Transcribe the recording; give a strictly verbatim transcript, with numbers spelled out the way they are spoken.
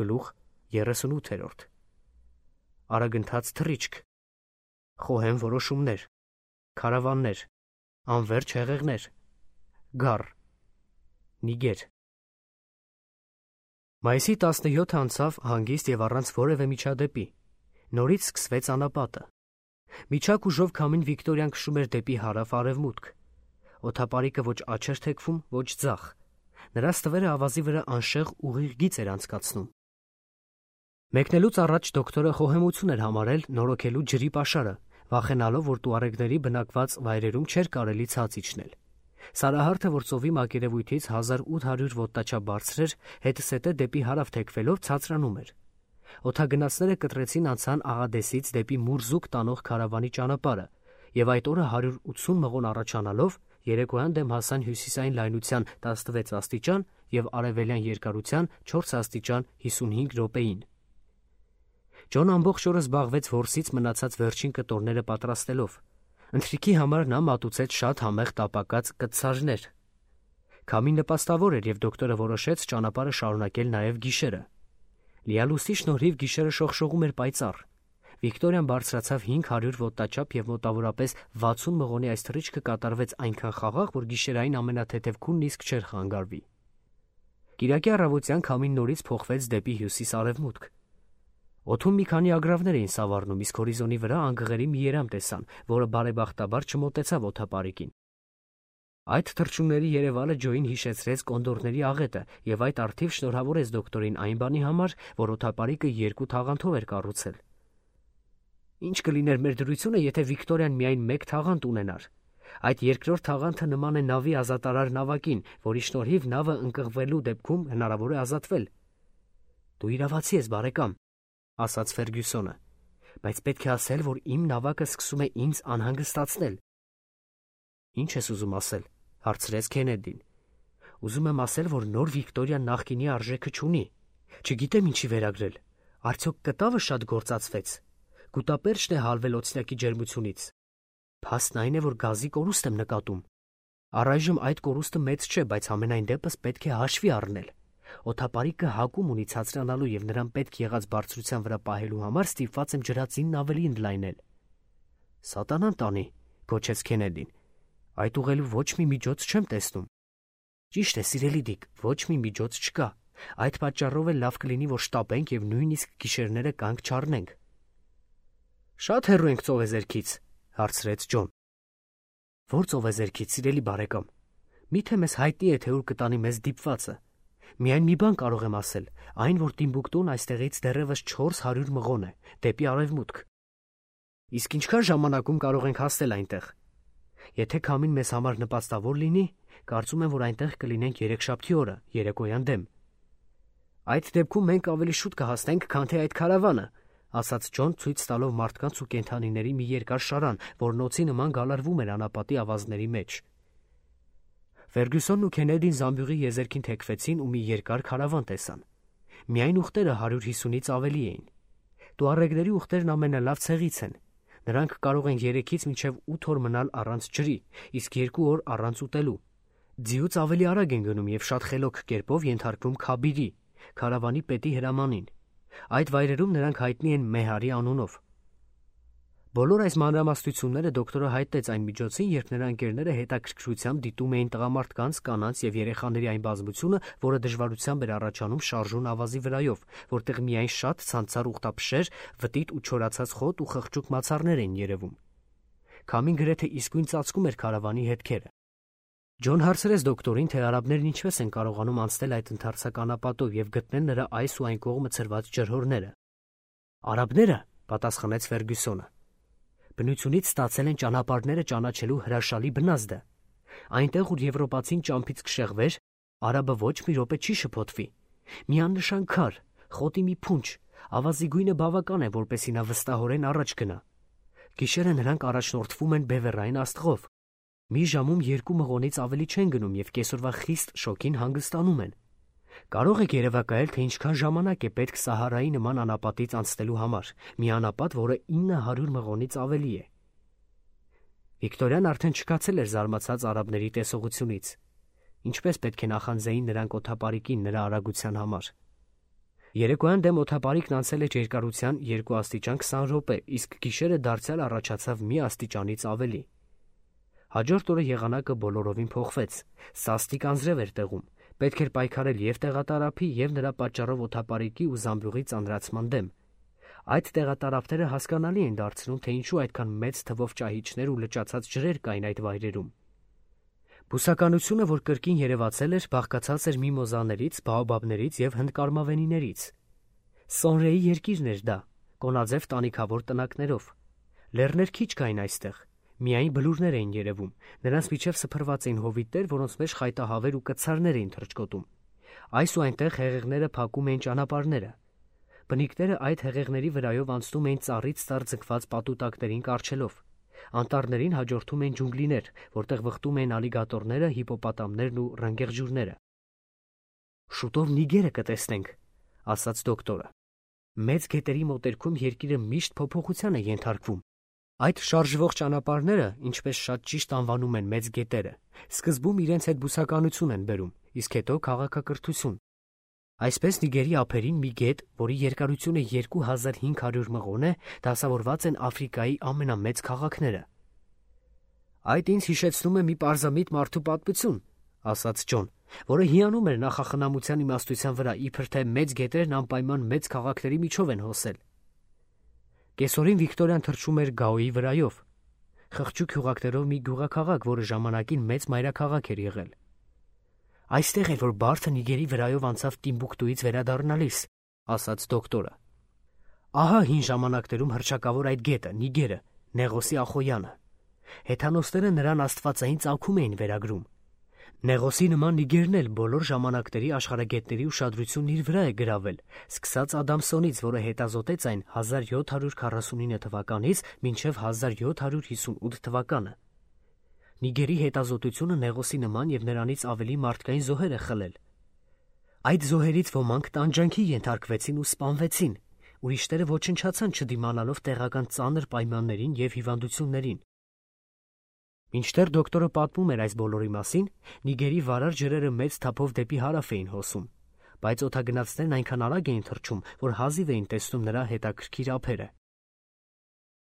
Գլուխ երեսունութ. Արագընթաց թռիչք, խոհեմ որոշումներ, քարավաններ, անվերջ հեղեղներ, գառ, նիգեր։ Մայիսի տասնյոթը անցավ հանգիստ եւ առանց որևէ միջադեպի։ Նորից սկսվեց անապատը։ Միջակ ուժով քամին Վիկտորիան քշում էր դեպի հարավ-արևմուտք։ Օդապարիկը ոչ աջ էր թեքվում, ոչ ձախ։ Նրա ստվերը ավազի վրա անշեղ ուղիղ գիծ էր անցկացնում։ Մեկնելուց առաջ դոկտորը խոհեմություն էր համարել նորոգելու ջրի պաշարը, վախենալով, որ տուարեգների բնակված վայրերում չէր կարելի ցած իջնել։ Սարահարթը, որ ծովի մակերևույթից հազար ութ հարյուր ոտնաչափ բարձր էր, հետսետե դեպի հարավ թեքվելով ցածրանում էր։ Օդագնացները կտրեցին անցան Աղադեսից դեպի Մուրզուկ տանող քարավանի ճանապարհը, եւ այդ օրը հարյուր ութսուն մղոն առաջանալով երեկոյան դեմ հասան հյուսիսային լայնության տասնվեց աստիճան եւ արևելյան երկարության չորս աստիճան հիսունհինգ րոպեին։ Ջոն ամբողջ օրը զբաղվեց որսից մնացած վերջին կտորները պատրաստելով։ Ընթրիքի համար նա մատուցեց շատ համեղ տապակած կտցարներ։ Քամին նպաստավոր էր եւ դոկտորը որոշեց ճանապարհը շարունակել նաեւ գիշերը։ Լիալուսի շնորհիվ գիշերը շողշողում էր պայծառ։ Վիկտորիան բարձրացավ հինգ հարյուր ոտնաչափ եւ մոտավորապես վաթսուն մղոնի այս թռիչքը կատարվեց այնքան խաղաղ, որ գիշերային ամենաթեթև քունն իսկ չէր խանգարվի։ Կիրակի առավոտյան քամին նորից փոխվեց դեպի հյուսիս-արևմուտք։ Օդում մի քանի ագռավներ էին սավառնում, իսկ հորիզոնի վրա անգղերի մի երամ տեսան, որը բարեբախտաբար չմոտեցավ օդապարիկին։ Այդ թռչունների երևալը Ջոյին հիշեցրեց կոնդորների աղետը եւ այդ արդիվ շնորհավորեց դոկտորին այն բանի համար, որ օդապարիկը երկու թաղանթով էր կառուցել։ Ինչ կլիներ մեր դրությունը, եթե Վիկտորիան միայն մեկ թաղանթ ունենար։ Այդ երկրորդ թաղանթը նման է նավի ազատարար նավակին, որի շնորհիվ նավը ընկղվելու դեպքում հնարավոր է ազատվել։ Դու իրավացի ես, բարեկամ, ասաց Ֆերգյուսոնը, բայց պետք է ասել, որ իմ նավակը սկսում է ինձ անհանգստացնել։ Ինչ ես ուզում ասել, հարցրեց Քենեդին։ Ուզում եմ ասել, որ նոր Վիկտորիան նախկինի արժեքը չունի։ Չգիտեմ ինչի վերագրել։ Արդյոք կտավը շատ գործածվեց։ Գուտապերճն է հալվել օծյակի ջերմությունից։ Փաստն այն է, որ գազի կորուստ եմ նկատում։ Առայժմ այդ կորուստը մեծ չէ, բայց ամենայն դեպս պետք է հաշվի առնել։ Օդապարիկը հակում ունի ցածրանալու եւ նրան պետք եղած բարձրության վրա պահելու համար ստիպված եմ ջրածինն ավելի ընդլայնել։ Սատանան տանի, գոչեց Քենեդին։ Այդ ուղղելու ոչ մի միջոց չեմ տեսնում։ Ճիշտ է, սիրելի Դիկ, ոչ մի միջոց չկա։ Այդ պատճառով էլ լավ կլինի, որ շտապենք եւ նույնիսկ գիշերները կանգ չառնենք։ Շատ հեռու ենք ծովեզերքից, հարցրեց Ջոն։ Որ ծովեզերքից, սիրելի բարեկամ։ Միթե մեզ հայտնի է, թե ուր կտանի մեզ դիպվածը։ Միայն մի բան կարող եմ ասել, այն, որ Տիմբուկտուն այստեղից դեռևս չորս հարյուր մղոն է, դեպի արևմուտք։ Իսկ ինչքան ժամանակում կարող ենք հասնել այնտեղ։ Եթե քամին մեզ համար նպաստավոր լինի, կարծում եմ, որ այնտեղ կլինենք երեքշաբթի օրը, երեկոյան դեմ։ Այդ դեպքում մենք ավելի շուտ կհասնենք, քան թե այդ քարավանը, ասաց Ջոն, ցույց տալով մարդկանց ու կենդանիների մի երկար շարան, որ նոցի նման գալարվում էր անապատի ավազների մեջ։ Ֆերգյուսոնն ու Քենեդին զամբյուղի եզերքին թեքվեցին ու մի երկար քարավան տեսան։ Միայն ուղտերը հարյուր հիսունից ավելի էին։ Տուարեգների ուղտերն ամենալավ ցեղից են։ Նրանք կարող են երեքից մինչև ութ օր մնալ առանց ջրի, իսկ երկու օր առանց ուտելու։ Ձիուց ավելի արագ են գնում եւ շատ խելոք կերպով ենթարկվում Քաբիրի, քարավանի պետի հրամանին։ Այդ վայրերում նրանք հայտնի են Մեհարի անունով։ Բոլոր այս մանրամասնությունները դոկտորը հայտնեց այն միջոցին, երբ նրա ընկերները հետաքրքրությամբ դիտում էին տղամարդկանց, կանանց եւ երեխաների այն բազմությունը, որը դժվարությամբ էր առաջանում շարժուն ավազի վրայով, որտեղ միայն շատ ցանցառ ուխտափշեր, վտիտ ու չորացած խոտ ու խղճուկ մացառներ էին երևում։ Քամին գրեթե իսկույն ծածկում էր քարավանի հետքերը։ Ջոն հարցրեց դոկտորին, թե արաբներն ինչպես են կարողանում անցնել այդ ընդարձակ անապատով եւ գտնել նրա այս ու այն կողմը ցրված ջրհորները։ Արաբները, պատասխանեց Ֆերգյուսոնը, բնությունից ստացել են ճանապարհները ճանաչելու հրաշալի բնազդը։ Այնտեղ, ուր եվրոպացին ճամփից կշեղվեր, արաբը ոչ մի րոպե չի շփոթվի։ Մի աննշան քար, խոտի մի փունջ, ավազի գույնը բավական է, որպեսզի նա վստահորեն առաջ գնա։ Գիշերը նրանք առաջնորդվում են բևեռային աստղով։ Մի ժամում երկու մղոնից ավելի չեն գնում եւ կեսօրվա խիստ շոկին հանգստանում են։ Կարող եք երևակայել, թե ինչքան ժամանակ է պետք Սահարայի նման անապատից անցնելու համար, մի անապատ, որը ինը հարյուր մղոնից ավելի է։ Վիկտորիան արդեն չկացել էր զարմացած արաբների տեսողությունից։ Ինչպես պետք է նախանձեին նրանք օդապարիկին նրա արագության համար։ Երեկոյան դեմ օդապարիկն անցել էր երկարության երկու աստիճան քսան րոպե, իսկ գիշերը դարձյալ առաջացավ մի աստիճանից ավելի։ Հաջորդ օրը եղանակը բոլորովին փոխվեց, սաստիկ անձրև էր տեղում, պետք էր պայքարել և տեղատարափի, և նրա պատճառով օդապարիկի ու զամբյուղի ծանրացման դեմ։ Այդ տեղատարափները հասկանալի են դարձնում, թե ինչու այդքան մեծ թվով ճահիճներ ու լճացած ջրեր կային այդ վայրերում։ Բուսականությունը, որ կրկին երևացել էր, բաղկացած էր միմոզաներից, բաոբաբներից և հնդկարմավենիներից։ Սոնրեի երկիրն էր դա, կոնաձև տանիքավոր տնակներով։ Լեռներ քիչ կային այստեղ, միայն բլուրներ էին երևում, նրանց միջև սփռված էին հովիտներ, որոնց մեջ խայտահավեր ու կցարներ էին թռչկոտում։ Այս ու այնտեղ հեղեղները փակում էին ճանապարհները։ Բնիկները այդ հեղեղների վրայով անցնում էին ծառից ծառ ձգված պատուտակներին կառչելով։ Անտառներին հաջորդում էին ջունգլիներ, որտեղ վխտում էին ալիգատորները, հիպոպոտամներն ու ռնգեղջյուրները։ «Շուտով Նիգերը կտեսնենք», ասաց դոկտորը։ «Մեծ գետերի մոտերքում երկիրը միշտ փոփոխության է ենթարկվում։ Այդ շարժվող ճանապարհները, ինչպես շատ ճիշտ անվանում են մեծ գետերը, սկզբում իրենց հետ բուսականություն են բերում, իսկ հետո քաղաքակրթություն։ Այսպես Նիգերի ափերին մի գետ, որի երկարությունը երկու հազար հինգ հարյուր մղոն է, դասավորված են Աֆրիկայի ամենամեծ քաղաքները»։ «Այդ ինձ հիշեցնում է մի պարզամիտ մարդու պատմություն», ասաց Ջոն, որը հիանում էր նախախնամության իմաստության վրա, իբր թե մեծ գետերն անպայման մեծ քաղաքների միջով են հոսել։ Կեսօրին Վիկտորիան թռչում էր Գաոյի վրայով, խղճուկ հյուղակներով մի գյուղաքաղաք, որը ժամանակին մեծ մայրաքաղաք էր եղել։ «Այստեղ էր, որ բարդը Նիգերի վրայով անցավ Տիմբուկտուից վերադառնալիս», ասաց դոկտորը։ «Ահա հին ժամանակներում հռչակավոր այդ գետը, Նիգերը, Նեղոսի Ախոյանը։ Հեթանոսները նրան աստվածային ծագում էին վերագրում։ Նեղոսի նման Նիգերն էլ բոլոր ժամանակների աշխարհագետների ուշադրությունն իր վրա է գրավել, սկսած Ադամսոնից, որը հետազոտեց այն հազար յոթ հարյուր քառասունինը թվականից մինչև հազար յոթ հարյուր հիսունութ թվականը։ Նիգերի հետազոտությունը Նեղոսի նման և նրանից ավելի մարդկային զոհեր է խլել։ Այդ զոհերից ոմանք տանջանքի ենթարկվեցին ու սպանվեցին, ուրիշները ոչնչացան չդիմանալով տեղական ծանր պայմաններին և հիվանդություններին։ Մինչդեռ դոկտորը պատմում էր այս բոլորի մասին, Նիգերի վարար ջրերը մեծ թափով դեպի հարավ էին հոսում, բայց օդագնացներն այնքան արագ էին թռչում, որ հազիվ էին տեսնում նրա հետաքրքիր ափերը։